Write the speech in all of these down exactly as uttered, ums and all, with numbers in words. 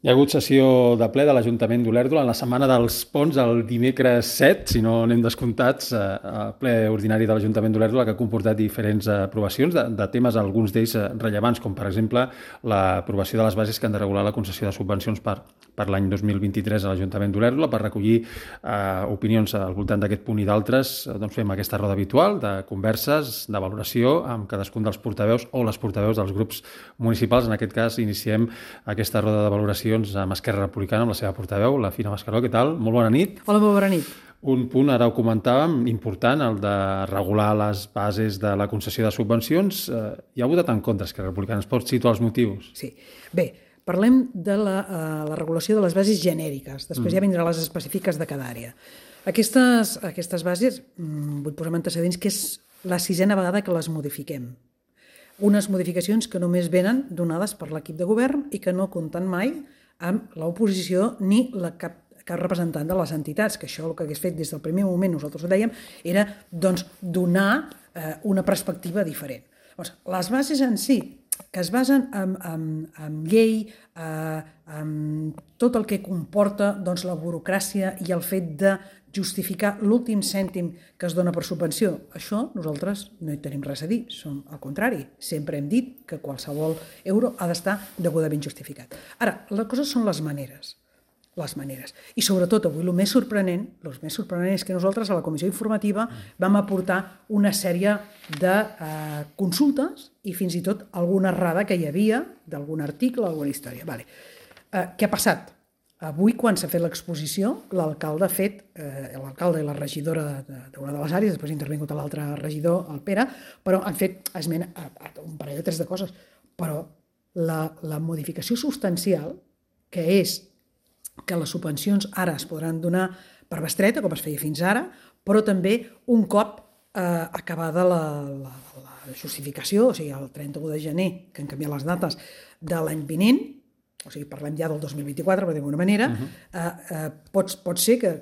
Hi ha hagut sessió de ple de l'Ajuntament d'Olèrdola en la setmana dels ponts, el dimecres set, si no anem descomptats, eh, ple ordinari de l'Ajuntament d'Olèrdola, que ha comportat diferents aprovacions de, de temes, alguns d'ells rellevants, com per exemple l'aprovació de les bases que han de regular la concessió de subvencions per, per l'any dos mil vint-i-tres a l'Ajuntament d'Olèrdola. Per recollir eh, opinions al voltant d'aquest punt i d'altres, doncs fem aquesta roda habitual de converses, de valoració amb cadascun dels portaveus o les portaveus dels grups municipals. En aquest cas iniciem aquesta roda de valoració amb Esquerra Republicana, amb la seva portaveu, la Fina Mascaró. Què tal? Molt bona nit. Hola, molt bona nit. Un punt, ara ho comentàvem, important, el de regular les bases de la concessió de subvencions. Eh, hi ha votat en contra Esquerra Republicana. Ens pots situar els motius? Sí. Bé, parlem de la, uh, la regulació de les bases genèriques. Després mm. ja vindran les específiques de cada àrea. Aquestes, aquestes bases, mm, vull posar antecedents, que és la sisena vegada que les modifiquem. Unes modificacions que només venen donades per l'equip de govern i que no compten mai amb l'oposició ni la cap, cap representant de les entitats, que això el que hagués fet des del primer moment, nosaltres ho dèiem, era doncs, donar eh, una perspectiva diferent. Doncs, les bases en si, que es basen en, en, en llei, eh, en tot el que comporta doncs, la burocràcia i el fet de justificar l'últim cèntim que es dona per subvenció. Això nosaltres no hi tenim res a dir, som al contrari. Sempre hem dit que qualsevol euro ha d'estar degudament justificat. Ara, la cosa són les maneres. Les maneres. I sobretot, avui, el més sorprenent, el més sorprenent és que nosaltres a la comissió informativa vam aportar una sèrie de eh, consultes i fins i tot alguna errada que hi havia d'algun article o alguna història. Vale. Eh, què ha passat? Avui, quan s'ha fet l'exposició, l'alcalde ha fet, eh, l'alcalde i la regidora d'una de les àrees, després ha intervingut l'altre regidor, el Pere, però han fet esmena a, a un parell de tres de coses. Però la, la modificació substancial, que és que les subvencions ara es podran donar per bestreta, com es feia fins ara, però també un cop eh, acabada la, la, la justificació, o sigui, el trenta-u de gener, que han canviat les dates de l'any vinent, o sigui, parlem ja del dos mil vint-i-quatre, per d'alguna manera, uh-huh. eh, eh, pot, pot ser que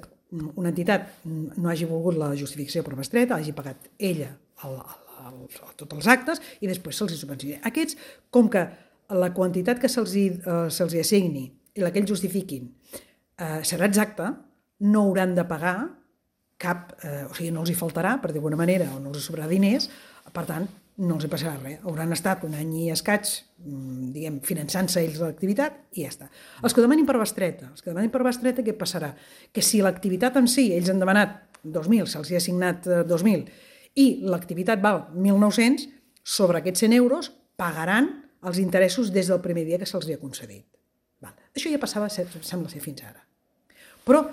una entitat no hagi volgut la justificació per bestreta, hagi pagat ella el, el, el, tots els actes i després se'ls subvenciona. Aquests, com que la quantitat que se'ls eh, se'ls assigni i la que ells justifiquin eh, serà exacta, no hauran de pagar cap, eh, o sigui, no els hi faltarà, per d'alguna manera, o no els hi sobrarà diners, per tant, no els hi passarà res. Hauran estat un any i escaig, diguem, finançant-se ells l'activitat i ja està. Els que demanin per bestreta, els que demanin per bestreta, què passarà? Que si l'activitat en si, ells han demanat dos mil, se'ls hi ha assignat dos mil, i l'activitat val mil nou-cents, sobre aquests cent euros pagaran els interessos des del primer dia que se'ls hi ha concedit. Val. Això ja passava, sembla ser, fins ara. Però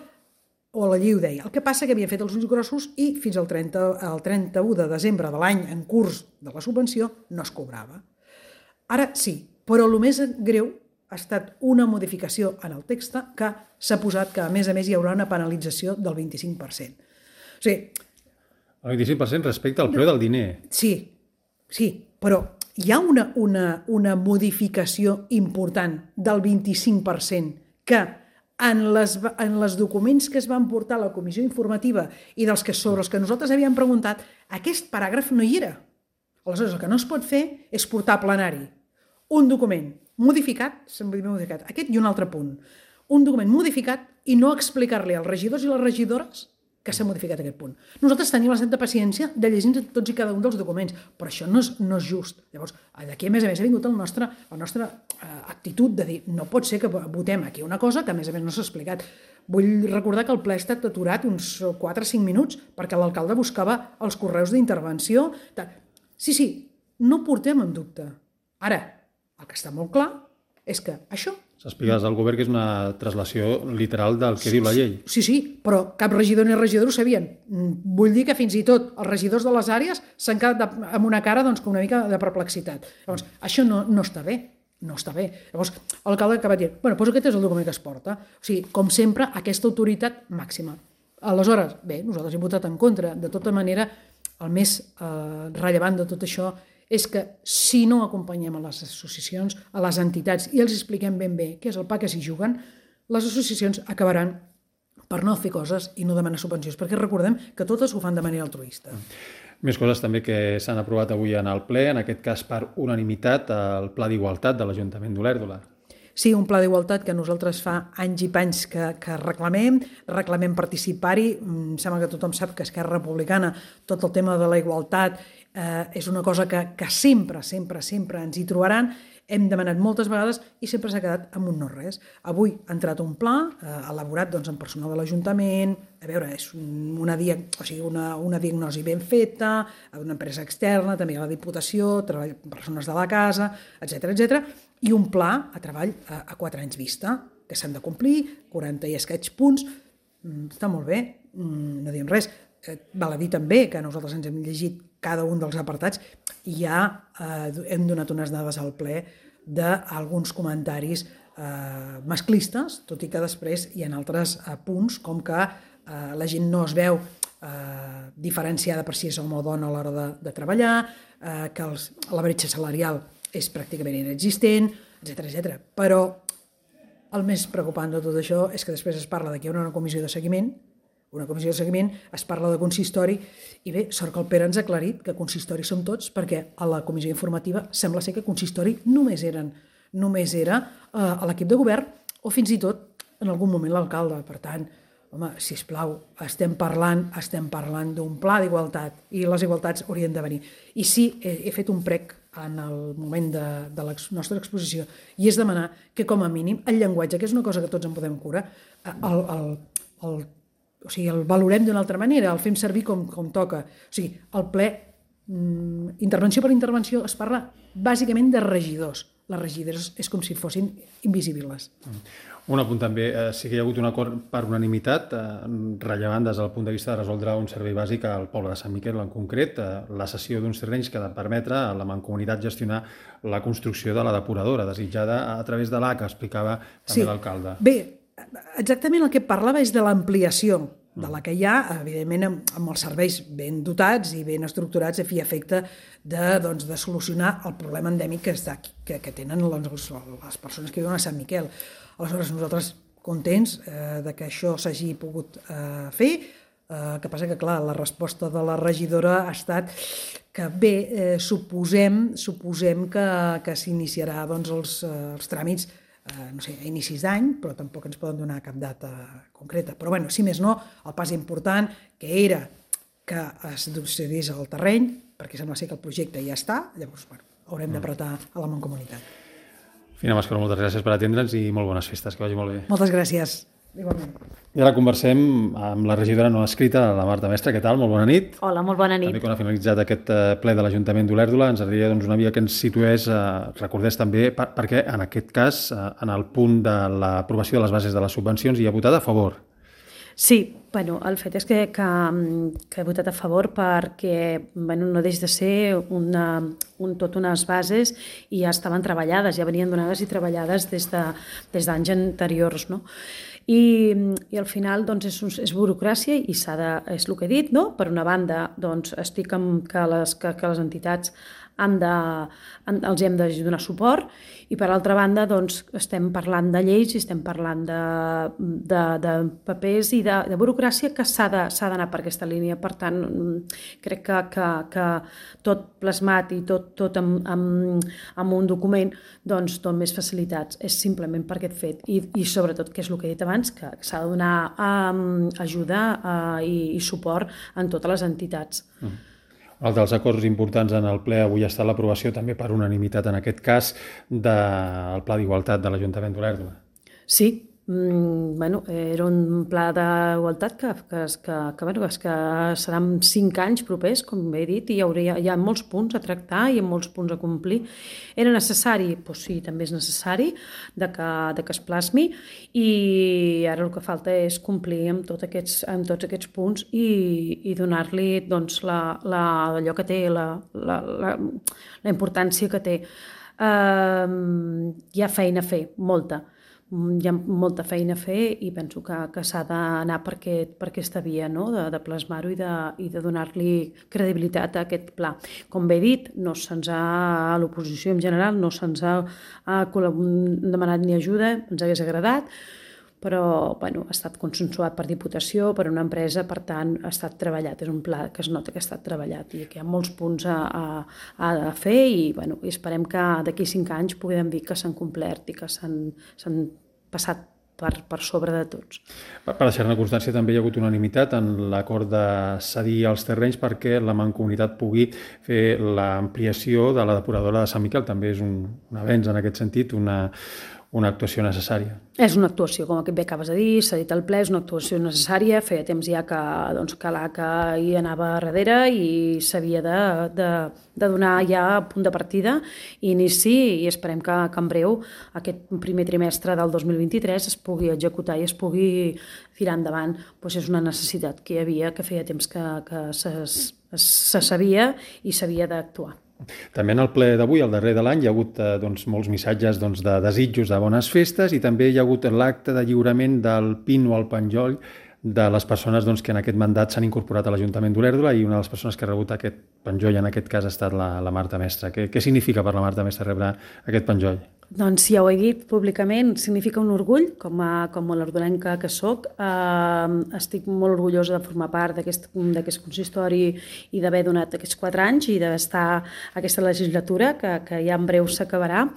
o la llei ho deia. El que passa que havien fet els ulls grossos i fins al trenta, al trenta-u de desembre de l'any en curs de la subvenció no es cobrava. Ara sí, però el més greu ha estat una modificació en el text que s'ha posat que a més a més hi haurà una penalització del vint-i-cinc per cent. O sigui, el vint-i-cinc per cent respecte al preu del diner. Sí, sí, però hi ha una, una, una modificació important del vint-i-cinc per cent que En les, en les documents que es van portar a la comissió informativa i dels que sobre els que nosaltres havíem preguntat, aquest paràgraf no hi era. Aleshores, el que no es pot fer és portar a plenari un document modificat, modificat, aquest i un altre punt, un document modificat i no explicar-li als regidors i les regidores que s'ha modificat aquest punt. Nosaltres tenim la santa paciència de llegir tots i cada un dels documents, però això no és, no és just. Llavors, d'aquí a més a més ha vingut el nostre, la nostra eh, actitud de dir no pot ser que votem aquí una cosa que a més a més no s'ha explicat. Vull recordar que el ple ha estat aturat uns quatre o cinc minuts perquè l'alcalde buscava els correus d'intervenció. Sí, sí, no portem en dubte. Ara, el que està molt clar és que això s'explica des del govern que és una translació literal del que sí, diu la llei. Sí, sí, però cap regidor ni regidor ho sabien. Vull dir que fins i tot els regidors de les àrees s'han quedat de, amb una cara doncs, una mica de perplexitat. Llavors, això no, no està bé. No està bé. Llavors, l'alcalde acaba de dir, bueno, doncs aquest és el document que es porta. O sigui, com sempre, aquesta autoritat màxima. Aleshores, bé, nosaltres hem votat en contra. De tota manera, el més eh, rellevant de tot això és que si no acompanyem a les associacions, a les entitats, i els expliquem ben bé què és el pa que s'hi juguen, les associacions acabaran per no fer coses i no demanar subvencions, perquè recordem que totes ho fan de manera altruista. Més coses també que s'han aprovat avui en el ple, en aquest cas per unanimitat, el Pla d'Igualtat de l'Ajuntament d'Olèrdola. Sí, un pla d'igualtat que nosaltres fa anys i panys que, que reclamem, reclamem participar-hi. Em sembla que tothom sap que Esquerra Republicana, tot el tema de la igualtat, eh, és una cosa que, que sempre, sempre, sempre ens hi trobaran. Hem demanat moltes vegades i sempre s'ha quedat amb un no res. Avui ha entrat un pla eh, elaborat doncs, amb personal de l'Ajuntament, a veure, és una, dia, o sigui, una, una diagnosi ben feta, una empresa externa, també a la Diputació, treball, persones de la casa, etcètera, etcètera, i un pla a treball a, a quatre anys vista, que s'han de complir, quaranta i escaig punts, mm, està molt bé, mm, no diem res. Eh, val a dir també que nosaltres ens hem llegit cada un dels apartats i ja eh, hem donat unes dades al ple d'alguns comentaris eh, masclistes, tot i que després hi ha altres eh, punts, com que eh, la gent no es veu eh, diferenciada per si és home o dona a l'hora de, de treballar, eh, que els, la bretxa salarial és pràcticament inexistent, etcètera, etcètera. Però el més preocupant de tot això és que després es parla de que hi ha una comissió de seguiment, una comissió de seguiment, es parla de consistori, i bé, sort que el Pere ens ha aclarit que consistori som tots, perquè a la comissió informativa sembla ser que consistori només eren només era eh, a l'equip de govern o fins i tot en algun moment l'alcalde. Per tant, home, sisplau, estem parlant, estem parlant d'un pla d'igualtat i les igualtats haurien de venir. I sí, he, he fet un prec en el moment de, de la nostra exposició i és demanar que com a mínim el llenguatge, que és una cosa que tots en podem curar, el, el, el o sigui, el valorem d'una altra manera, el fem servir com, com toca. O sigui, el ple, mm, intervenció per intervenció, es parla bàsicament de regidors. Les regidores és com si fossin invisibles. Un apunt també, eh, sí que hi ha hagut un acord per unanimitat, eh, rellevant des del punt de vista de resoldre un servei bàsic al poble de Sant Miquel, en concret, eh, la cessió d'uns terrenys que ha de permetre a la Mancomunitat gestionar la construcció de la depuradora, desitjada a través de l'A, que explicava també sí. l'alcalde. Bé, exactament el que parlava és de l'ampliació de la que hi ha, evidentment amb, amb els serveis ben dotats i ben estructurats a fi i efecte de, doncs, de solucionar el problema endèmic que, està, que, que tenen les, les persones que viuen a Sant Miquel. Aleshores, nosaltres contents eh, de que això s'hagi pogut eh, fer, eh, que passa que, clar, la resposta de la regidora ha estat que bé, eh, suposem, suposem que, que s'iniciarà doncs, els, eh, els tràmits Uh, no sé, a inicis d'any, però tampoc ens poden donar cap data concreta. Però, bueno, si més no, el pas important, que era que es cedís al terreny, perquè sembla ser que el projecte ja està, llavors, bueno, haurem d'apretar a la Mancomunitat. Fina Mascaró, moltes gràcies per atendre'ns i molt bones festes, que vagi molt bé. Moltes gràcies. Igualment. I ara conversem amb la regidora no escrita, la Marta Mestre. Què tal? Molt bona nit. Hola, molt bona nit. També quan ha finalitzat aquest ple de l'Ajuntament d'Olèrdola, ens agradaria doncs, una via que ens situés, eh, recordés també, per, perquè en aquest cas, eh, en el punt de l'aprovació de les bases de les subvencions, hi ha votat a favor. Sí, bueno, el fet és que, que, que he votat a favor perquè bueno, no deix de ser una, un, tot unes bases i ja estaven treballades, ja venien donades i treballades des de, des d'anys anteriors, no? I, i al final doncs, és, és burocràcia i s'ha de, és el que he dit, no? Per una banda doncs, estic amb que les, que, que les entitats han de, han, els hem de donar suport i per altra banda doncs, estem parlant de lleis i estem parlant de, de, de papers i de, de burocràcia que s'ha d'anar per aquesta línia. Per tant, crec que, que, que tot plasmat i tot, tot amb, amb, amb un document doncs, dona més facilitats. És simplement per aquest fet. I, i sobretot, que és el que he dit abans, que s'ha de donar um, ajuda uh, i, i suport en totes les entitats. Mm. Un altre dels acords importants en el ple avui ha estat l'aprovació també per unanimitat, en aquest cas, del Pla d'Igualtat de l'Ajuntament d'Olèrdola. Sí, mm, bueno, era un pla d'igualtat que, que, que, que, bueno, que seran cinc anys propers, com he dit, i hi, hauria, hi ha molts punts a tractar i molts punts a complir. Era necessari? Doncs sí, també és necessari de que, de que es plasmi i ara el que falta és complir amb, tot aquests, amb tots aquests punts i, i donar-li doncs, la, la, allò que té, la, la, la, la importància que té. Uh, hi ha feina a fer, molta. Hi ha molta feina a fer i penso que, que s'ha d'anar per, aquest, per aquesta via, no? de, de plasmar-ho i de, i de donar-li credibilitat a aquest pla. Com bé he dit, no se'ns ha, a l'oposició en general, no se'ns ha, ha demanat ni ajuda, ens hagués agradat, però bueno, ha estat consensuat per Diputació, per una empresa, per tant ha estat treballat, és un pla que es nota que ha estat treballat i que hi ha molts punts a, a, a fer i, bueno, i esperem que d'aquí cinc anys puguem dir que s'han complert i que s'han passat per, per sobre de tots. Per deixar-ne constància, també hi ha hagut unanimitat en l'acord de cedir els terrenys perquè la Mancomunitat pugui fer l'ampliació de la depuradora de Sant Miquel. També és un, un avenç en aquest sentit, una, una actuació necessària. És una actuació, com bé acabes de dir, s'ha dit al ple, és una actuació necessària, feia temps ja que, doncs, que l'A C A hi anava darrere i s'havia de, de, de donar ja punt de partida i inici, i esperem que, que en breu aquest primer trimestre del dos mil vint-i-tres es pugui executar i es pugui tirar endavant. Pues és una necessitat que hi havia, que feia temps que, que se, se sabia i s'havia d'actuar. També en el ple d'avui, el darrer de l'any, hi ha hagut eh, doncs, molts missatges doncs, de desitjos de bones festes i també hi ha hagut l'acte de lliurament del pin o el penjoll de les persones doncs, que en aquest mandat s'han incorporat a l'Ajuntament d'Olèrdola i una de les persones que ha rebut aquest penjoll en aquest cas ha estat la, la Marta Mestre. Què, què significa per la Marta Mestre rebre aquest penjoll? Doncs ja ho he dit públicament, significa un orgull, com a, com a l'ordolenca que soc. Eh, estic molt orgullosa de formar part d'aquest consistori i d'haver donat aquests quatre anys i d'estar aquesta legislatura, que, que ja en breu s'acabarà.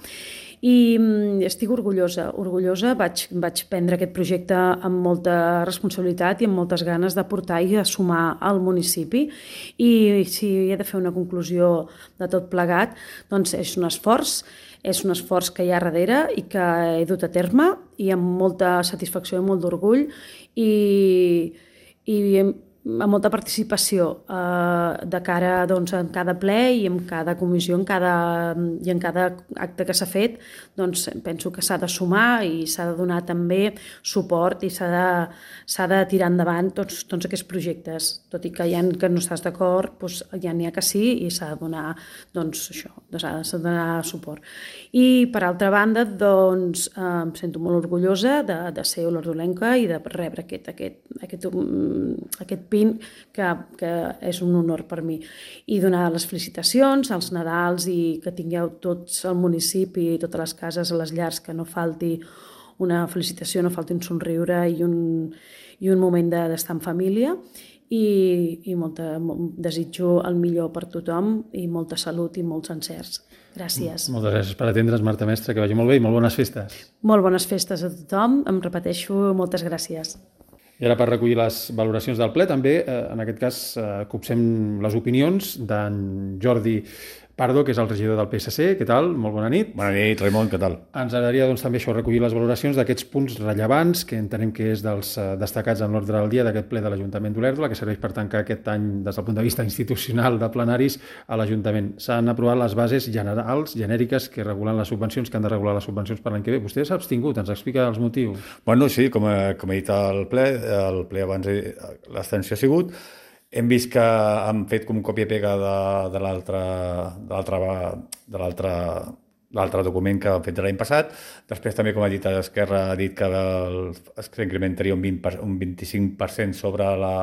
I estic orgullosa, orgullosa, vaig, vaig prendre aquest projecte amb molta responsabilitat i amb moltes ganes de portar i de sumar al municipi i si he de fer una conclusió de tot plegat, doncs és un esforç, és un esforç que hi ha darrere i que he dut a terme i amb molta satisfacció i molt d'orgull i, i amb molta participació eh, de cara doncs, en cada ple i en cada comissió en cada, i en cada acte que s'ha fet, doncs penso que s'ha de sumar i s'ha de donar també suport i s'ha de, s'ha de tirar endavant tots, tots aquests projectes, tot i que hi ha que no estàs d'acord, doncs ja n'hi ha que sí i s'ha de donar, doncs, això, s'ha de donar suport. I per altra banda, doncs, eh, em sento molt orgullosa de, de ser olordolenca i de rebre aquest, aquest, aquest, aquest pin que, que és un honor per mi i donar les felicitacions als Nadals i que tingueu tots el municipi i totes les cases a les llars, que no falti una felicitació, no falti un somriure i un, i un moment d'estar en família i, i molta, desitjo el millor per tothom i molta salut i molts encerts. Gràcies. Moltes gràcies per atendre's, Marta Mestre, que vagi molt bé i molt bones festes. Molt bones festes a tothom, em repeteixo, moltes gràcies. I ara per recollir les valoracions del ple també, eh, en aquest cas, eh, copsem les opinions d'en Jordi Pardo, que és el regidor del P S C. Què tal? Molt bona nit. Bona nit, Raimon, què tal? Ens agradaria doncs, també això recollir les valoracions d'aquests punts rellevants que entenem que és dels eh, destacats en l'ordre del dia d'aquest ple de l'Ajuntament d'Olèrdola, que serveix per tancar aquest any des del punt de vista institucional de plenaris a l'Ajuntament. S'han aprovat les bases generals, genèriques, que regulen les subvencions, que han de regular les subvencions per l'any que ve. Vostè s'ha abstingut, ens explica els motius. Bueno, sí, com, a, com he dit al ple, el ple abans l'abstenció ha sigut. Hem vist que han fet com còpia i pega de, de l'altre de l'altre l'altre document que han fet l'any passat. Després també, com ha dit Esquerra, ha dit que s'incrementaria un, un vint-i-cinc per cent sobre la...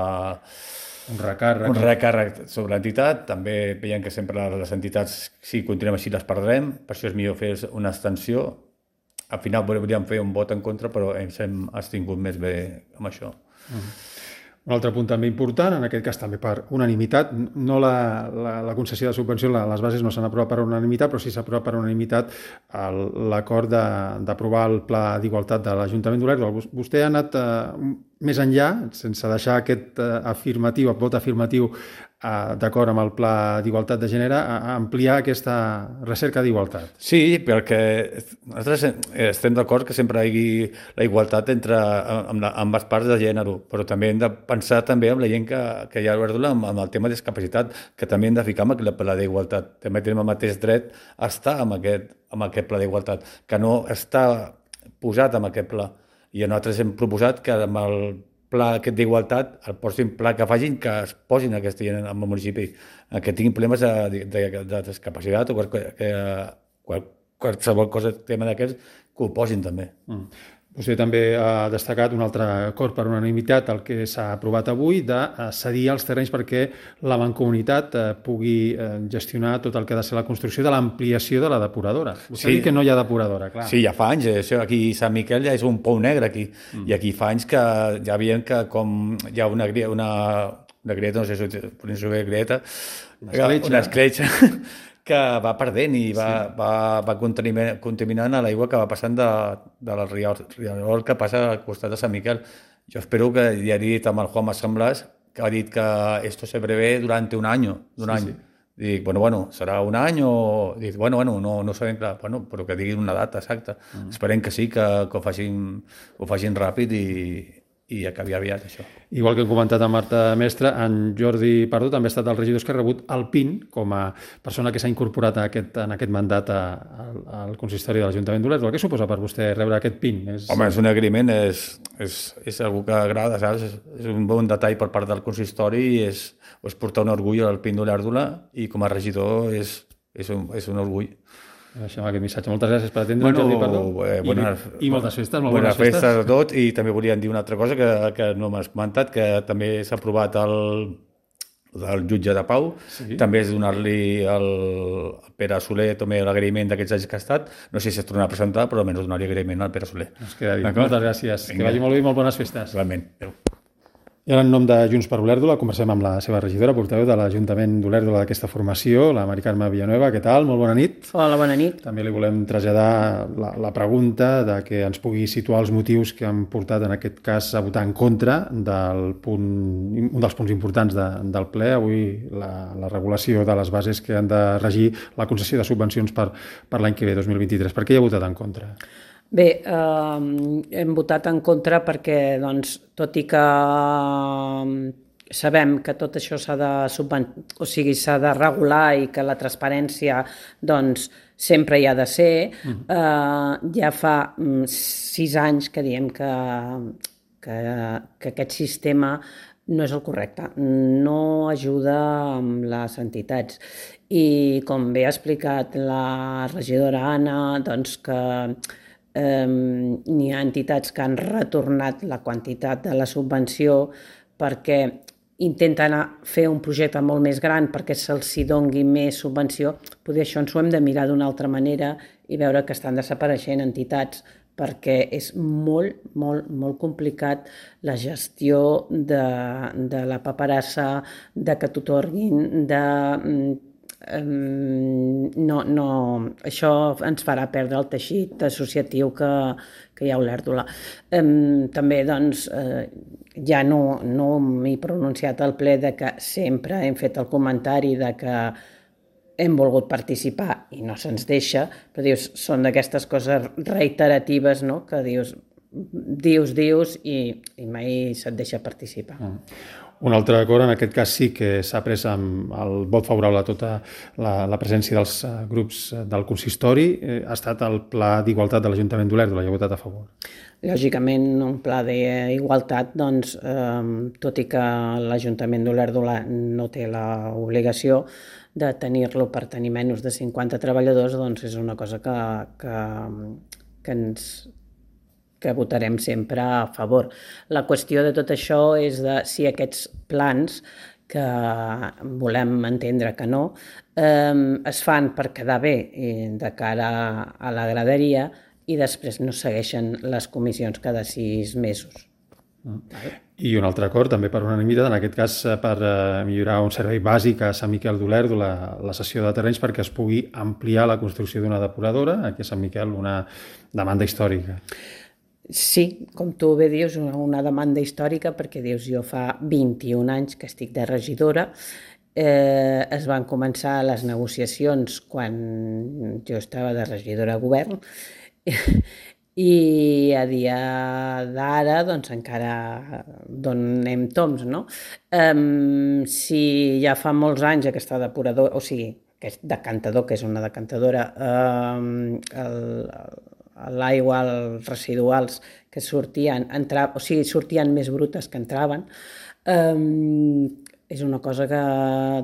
Un recàrrec. Un recàrrec sobre l'entitat. També veiem que sempre les entitats, si continuem així, les perdrem. Per això és millor fer una abstenció. Al final podríem fer un vot en contra, però ens hem abstingut més bé amb això. Uh-huh. Un altre punt també important, en aquest cas també per unanimitat, no la, la, la concessió de subvenció, la, les bases no s'han aprovat per unanimitat, però sí s'ha aprovat per unanimitat l'acord d'aprovar el Pla d'Igualtat de l'Ajuntament d'Olèrdola. Vostè ha anat eh, més enllà, sense deixar aquest eh, afirmatiu, el vot afirmatiu eh, d'acord amb el Pla d'Igualtat de Gènere, a, a ampliar aquesta recerca d'igualtat. Sí, perquè nosaltres estem d'acord que sempre hi hagi la igualtat entre amb, la, amb les parts de gènere, però també hem de pensar també amb la gent que, que hi ha a l'Olèrdola amb, amb el tema de discapacitat, que també hem de ficar amb aquest Pla d'Igualtat. També tenim el mateix dret a estar amb aquest, amb aquest Pla d'Igualtat, que no està posat amb aquest pla. I nosaltres hem proposat que amb el pla aquest d'igualtat, el posin pla que facin, que es posin aquesta gent en el municipi, que tinguin problemes de, de, de discapacitat o que, que, qual, qualsevol cosa, tema d'aquests, que ho posin també. Mm. Vostè també ha destacat un altre acord per unanimitat, el que s'ha aprovat avui, de cedir els terrenys perquè la Mancomunitat pugui gestionar tot el que ha de ser la construcció de l'ampliació de la depuradora. Vostè sí. ha dit que no hi ha depuradora, clar. Sí, ja fa anys. Això aquí a Sant Miquel ja és un pou negre, aquí. Mm. I aquí fa anys que ja veiem que com hi ha una, una, una grieta, no sé si podem dir grieta, una escletxa, una escletxa que va perdent i va, sí. va, va contaminant, contaminant a l'aigua que va passant de, de la riarol que passa al costat de Sant Miquel. Jo espero que ja he dit amb el Juan Mas Blas, que ha dit que esto se prevé durante un año, un sí, any. Sí. Dic, bueno, bueno, serà un any o... Dic, bueno, bueno, no, no sabem clar, bueno, però que diguin una data exacta. Mm. Esperem que sí, que, que ho, facin, ho facin ràpid i, i acabi aviat, això. Igual que hem comentat amb Marta Mestre, en Jordi Pardo també ha estat el regidor que ha rebut el P I N com a persona que s'ha incorporat a aquest, en aquest mandat a, a, al consistori de l'Ajuntament d'Olèrdola. Què suposa per vostè rebre aquest P I N? És... Home, és un agraïment, és, és, és algú que agrada, saps? És, és un bon detall per part del consistori i és, és portar un orgull al P I N d'Olèrdola i com a regidor és, és, un, és un orgull. Deixem aquest missatge. Moltes gràcies per atendre, bueno, Jordi Pardo. Eh, bones, I, I moltes festes, molt bones, bones festes. festes a tots, i també volíem dir una altra cosa que, que no m'has comentat, que també s'ha aprovat el, el jutge de Pau, sí. També és donar-li al Pere Soler també l'agraïment d'aquests anys que ha estat. No sé si es tornarà a presentar, però almenys donar-li agraïment al Pere Soler. Ens queda dit. Moltes gràcies. Vinga. Que vagi molt bé i molt bones festes. Realment. Adéu. I ara, en nom de Junts per Olèrdola, conversem amb la seva regidora, portaveu de l'Ajuntament d'Olèrdola d'aquesta formació, la Mari Carme Villanueva. Què tal? Molt bona nit. Hola, bona nit. També li volem traslladar la, la pregunta de que ens pugui situar els motius que han portat, en aquest cas, a votar en contra del punt, un dels punts importants de, del ple, avui la, la regulació de les bases que han de regir la concessió de subvencions per, per l'any que ve, dos mil vint-i-tres. Per què hi ha votat en contra? Bé, eh, hem votat en contra perquè, doncs, tot i que sabem que tot això s'ha de subven... o sigui, s'ha de regular i que la transparència, doncs, sempre hi ha de ser, eh, ja fa sis anys que diem que, que, que aquest sistema no és el correcte, no ajuda amb les entitats. I com bé ha explicat la regidora Anna, doncs que Um, n'hi ha entitats que han retornat la quantitat de la subvenció perquè intenten fer un projecte molt més gran perquè se'ls doni més subvenció. Potser això ens ho hem de mirar d'una altra manera i veure que estan desapareixent entitats perquè és molt, molt, molt complicat la gestió de, de la paperassa, de que t'otorguin, de... Um, no, no, això ens farà perdre el teixit associatiu que, que hi ha a Olèrdola. Um, també, doncs, uh, ja no, no m'he pronunciat al ple de que sempre hem fet el comentari de que hem volgut participar i no se'ns deixa, però dius, són d'aquestes coses reiteratives, no?, que dius, dius, dius i, i mai se't deixa participar. Mm. Un altre acord, en aquest cas sí que s'ha pres amb el vot favorable a tota la, la presència dels grups del consistori, eh, ha estat el Pla d'Igualtat de l'Ajuntament d'Olèrdola, hi ha votat a favor. Lògicament, un pla d'igualtat, doncs, eh, tot i que l'Ajuntament d'Olèrdola no té l'obligació de tenir-lo per tenir menys de cinquanta treballadors, doncs és una cosa que, que, que ens... que votarem sempre a favor. La qüestió de tot això és de si aquests plans, que volem entendre que no, eh, es fan per quedar bé de cara a la graderia i després no segueixen les comissions cada sis mesos. Mm. I un altre acord, també per unanimitat, en aquest cas per millorar un servei bàsic a Sant Miquel d'Olèrdola, la cessió de terrenys perquè es pugui ampliar la construcció d'una depuradora, aquí a Sant Miquel una demanda històrica. Sí, com tu bé dius, una, una demanda històrica, perquè dius, jo fa vint-i-un anys que estic de regidora, eh, es van començar les negociacions quan jo estava de regidora a govern, i a dia d'ara doncs encara donem toms, no? Um, si ja fa molts anys aquesta depuradora, o sigui, que és decantador, que és una decantadora, um, el, el l'aigua, els residuals que sortien, entra, o sigui, sortien més brutes que entraven, um, és una cosa que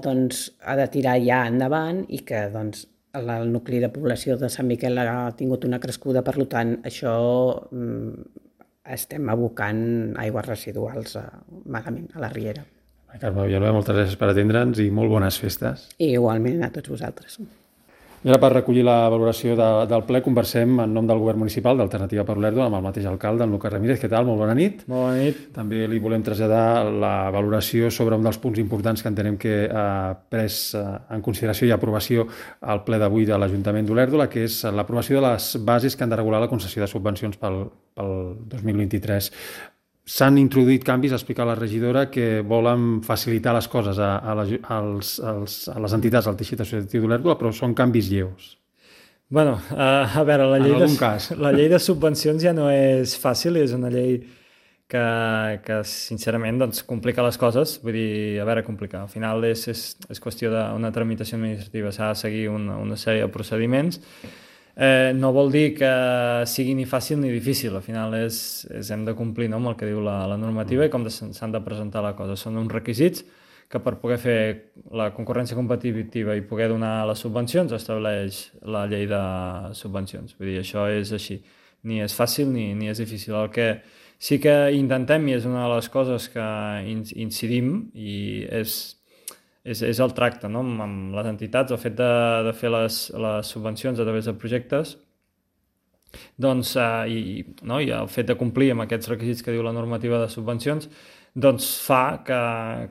doncs, ha de tirar ja endavant i que doncs, el nucli de població de Sant Miquel ha tingut una crescuda, per tant, això um, estem abocant aigües residuals a, malament a la riera. Carme Villanueva, moltes gràcies per atendre'ns i molt bones festes. I igualment a tots vosaltres. I ara, per recollir la valoració de, del ple, conversem en nom del govern municipal d'Alternativa per Olèrdola amb el mateix alcalde, en Lucas Ramírez. Què tal? Molt bona nit. Molt bona nit. També li volem traslladar la valoració sobre un dels punts importants que entenem que ha pres en consideració i aprovació al ple d'avui de l'Ajuntament d'Olèrdola, que és l'aprovació de les bases que han de regular la concessió de subvencions pel, pel dos mil vint-i-tres. S'han introduït canvis, ha explicat la regidora, que volen facilitar les coses a, a, la, als, als, a les entitats del teixit associatiu d'Olèrdola, però són canvis lleus. Bueno, uh, a veure, la llei, en algun de, cas. la llei de subvencions ja no és fàcil, és una llei que, que sincerament, doncs, complica les coses. Vull dir, a veure, complicar. Al final és, és, és qüestió d'una tramitació administrativa, s'ha de seguir una, una sèrie de procediments. Eh, no vol dir que sigui ni fàcil ni difícil, al final és, és hem de complir, no?, amb el que diu la, la normativa i com s'han de presentar la cosa. Són uns requisits que per poder fer la concurrència competitiva i poder donar les subvencions estableix la llei de subvencions. Vull dir, això és així. Ni és fàcil ni, ni és difícil. El que sí que intentem, i és una de les coses que incidim, i és És, és el tracte, no?, amb, amb les entitats, el fet de, de fer les, les subvencions a través de projectes, doncs, eh, i, no?, i el fet de complir amb aquests requisits que diu la normativa de subvencions, doncs fa que,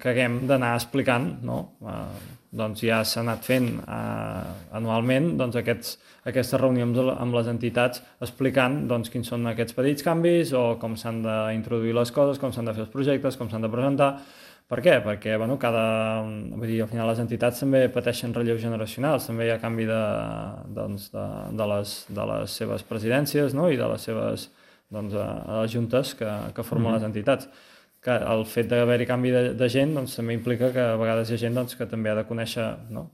que haguem d'anar explicant, no? Eh, doncs ja s'ha anat fent eh, anualment doncs aquests, aquestes reunions amb les entitats explicant doncs, quins són aquests petits canvis o com s'han d'introduir les coses, com s'han de fer els projectes, com s'han de presentar. Per què? Perquè bueno, cada, vull dir, al final les entitats també pateixen relleus generacionals, també hi ha canvi de, doncs, de, de, les, de les seves presidències, no?, i de les seves doncs, a, a les juntes que, que formen mm-hmm. les entitats. Que el fet d'haver-hi canvi de, de gent doncs, també implica que a vegades hi ha gent doncs, que també ha de conèixer, no?,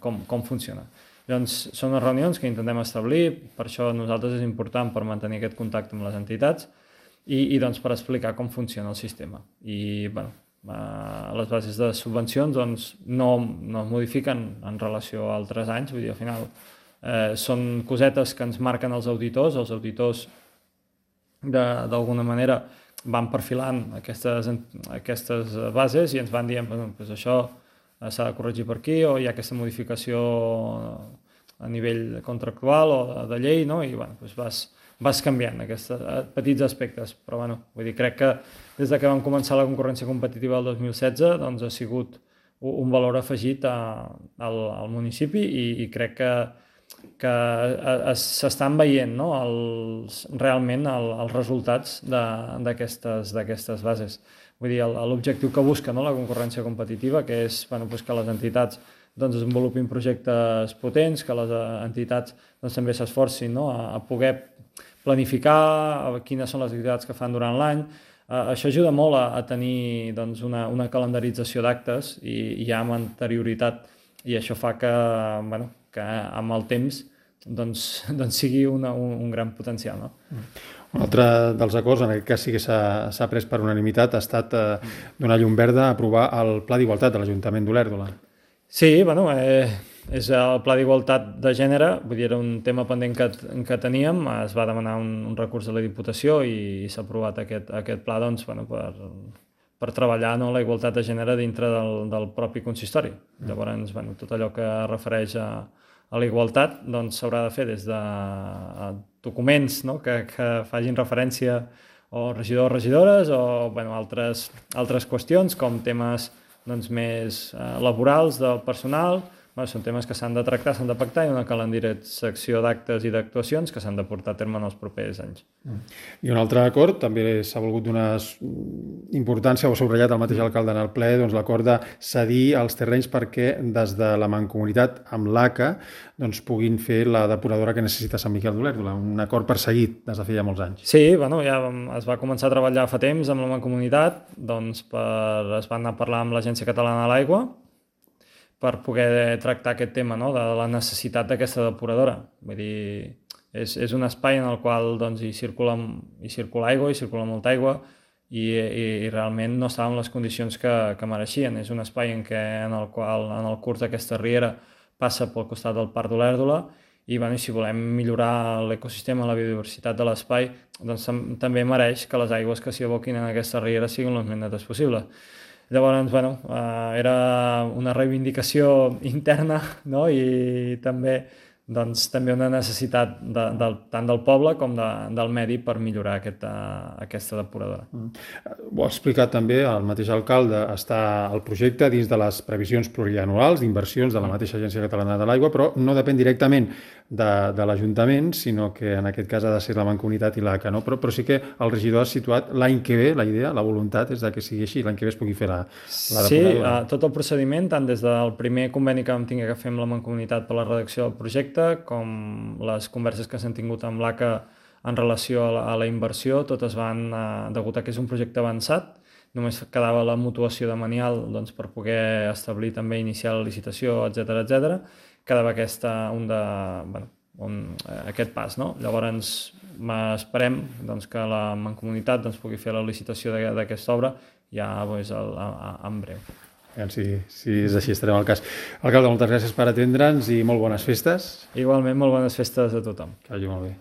com, com funciona. Llavors, són les reunions que intentem establir, per això a nosaltres és important per mantenir aquest contacte amb les entitats i, i doncs, per explicar com funciona el sistema. I, bueno, Uh, les bases de subvencions doncs, no, no es modifiquen en relació a altres anys, vull dir, al final eh, són cosetes que ens marquen els auditors, els auditors d'alguna manera van perfilant aquestes, aquestes bases i ens van dient, bueno, doncs això s'ha de corregir per aquí o hi ha aquesta modificació a nivell contractual o de, de llei, no? I bueno, doncs vas, vas canviant aquests petits aspectes, però bueno, vull dir, crec que des de que vam començar la concurrència competitiva el dos mil setze doncs ha sigut un valor afegit a, al, al municipi i, i crec que, que s'estan veient, no?, els, realment el, els resultats d'aquestes d'aquestes bases. Vull dir, l'objectiu que busca, no?, la concurrència competitiva, que és bueno, doncs que les entitats doncs, desenvolupin projectes potents, que les entitats doncs, també s'esforcin, no?, a, a poder planificar quines són les activitats que fan durant l'any. Uh, això ajuda molt a, a tenir doncs, una, una calendarització d'actes i, i ja amb anterioritat, i això fa que, bueno, que amb el temps doncs, doncs sigui una, un, un gran potencial. No? Un altre dels acords, en aquest cas sí que s'ha pres per unanimitat, ha estat eh, donar llum verda a aprovar el Pla d'Igualtat de l'Ajuntament d'Olèrdola. Sí, bueno, eh, és el Pla d'Igualtat de Gènere, vull dir, era un tema pendent que, que teníem, es va demanar un, un recurs de la Diputació i, i s'ha aprovat aquest, aquest pla doncs, bueno, per, per treballar, no, la igualtat de gènere dintre del, del propi consistori. Mm. Llavors, bueno, tot allò que refereix a, a la igualtat doncs, s'haurà de fer des de documents, no, que, que facin referència o regidors o regidores o bueno, altres, altres qüestions com temes doncs, més eh, laborals del personal. Bueno, són temes que s'han de tractar, s'han de pactar i una calendarització d'actes i d'actuacions que s'han de portar a terme en els propers anys. I un altre acord, també s'ha volgut donar importància, o subratllat el mateix alcalde en el ple, doncs l'acord de cedir els terrenys perquè des de la mancomunitat amb l'A C A doncs, puguin fer la depuradora que necessita Sant Miquel d'Olèrdola, un acord perseguit des de feia molts anys. Sí, bueno, ja es va començar a treballar fa temps amb la mancomunitat, doncs per, es va anar a parlar amb l'Agència Catalana de l'Aigua, per poder tractar aquest tema, no?, de la necessitat d'aquesta depuradora. Vull dir, és, és un espai en el qual doncs, hi, circula, hi circula aigua, hi circula molta aigua i, i, i realment no estava en les condicions que, que mereixien. És un espai en, què, en el qual en el curs d'aquesta riera passa pel costat del Parc d'Olèrdola i bueno, si volem millorar l'ecosistema, la biodiversitat de l'espai, doncs també mereix que les aigües que s'hi aboquin en aquesta riera siguin les més netes possible. Llavors, bueno, eh, era una reivindicació interna, no? I també, doncs, també una necessitat de, de, tant del poble com de, del medi per millorar aquesta, aquesta depuradora. Mm. Ho ha explicat també el mateix alcalde, està el projecte dins de les previsions plurianuals d'inversions de la mateixa Agència Catalana de l'Aigua, però no depèn directament de, de l'Ajuntament, sinó que en aquest cas ha de ser la Mancomunitat i l'A C A, no? Però, però sí que el regidor ha situat l'any que ve, la idea, la voluntat és de que sigui així, l'any que ve es pugui fer la, la sí, depuradora. Sí, tot el procediment, tant des del primer conveni que vam tenir que fer amb la Mancomunitat per la redacció del projecte, com les converses que s'han tingut amb l'A C A en relació a la, a la inversió, totes van, eh, degut a que és un projecte avançat, només quedava la mutuació de manial doncs, per poder establir també iniciar la licitació, etcètera etcètera. Quedava aquesta, un de, bueno, un, eh, aquest pas, no? Llavors esperem doncs, que la Mancomunitat doncs, pugui fer la licitació d'aquesta obra ja doncs, el, a, a, en breu. Si, si és així, estarem al cas. Alcalde, moltes gràcies per atendre'ns i molt bones festes. Igualment, molt bones festes a tothom. Que vagi molt bé.